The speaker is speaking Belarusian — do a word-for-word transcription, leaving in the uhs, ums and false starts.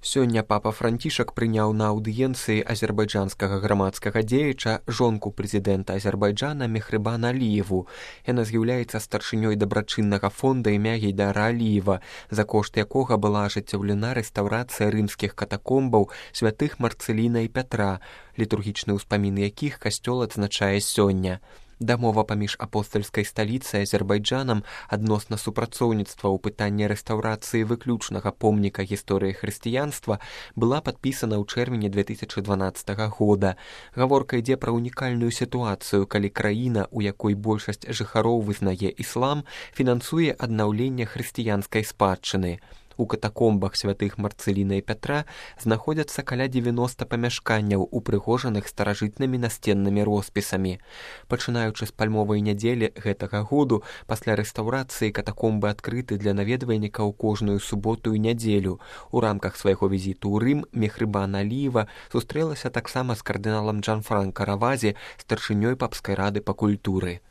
Сёння папа Францішак прыняў на аўдыенцыі азербайджанскага грамадскага дзеяча жонку прэзідэнта Азербайджана Мехрибана Аліеву. Яна з'яўляецца старшынёй дабрачыннага фонда імя Гейдара Аліева, за кошт якога была ажыццяўлена рэстаўрацыя рымскіх катакомбаў святых Марцэліна і Пятра, літургічныя ўспаміны якіх касцёл адзначае сёння. Дамова паміж апостальскай сталіцай Азербайджанам адносна супрацоўніцтва ў пытанні рэстаўрацыі выключнага помніка гісторыі хрысціянства была падпісана ў чэрвені две тысячы дванаццатага года. Гаворка ідзе пра унікальную сітуацыю, калі краіна, у якой большасць жыхароў вызнае іслам, фінансуе аднаўленне хрысціянскай спадчыны. У катакомбах святых Марцэліна і Пятра знаходзяцца каля дзевяноста памяшканняў, упрыгожаных старажытнымі насценнымі роспісамі. Пачынаючы з пальмовай нядзелі гэтага году, пасля рэстаўрацыі катакомбы адкрыты для наведвальнікаў кожную суботу і нядзелю. У рамках свайго візіту ў Рым Мехрибана Аліева сустрэлася таксама з кардыналам Джанфранка Равазі, старшынёй папскай рады па культуры.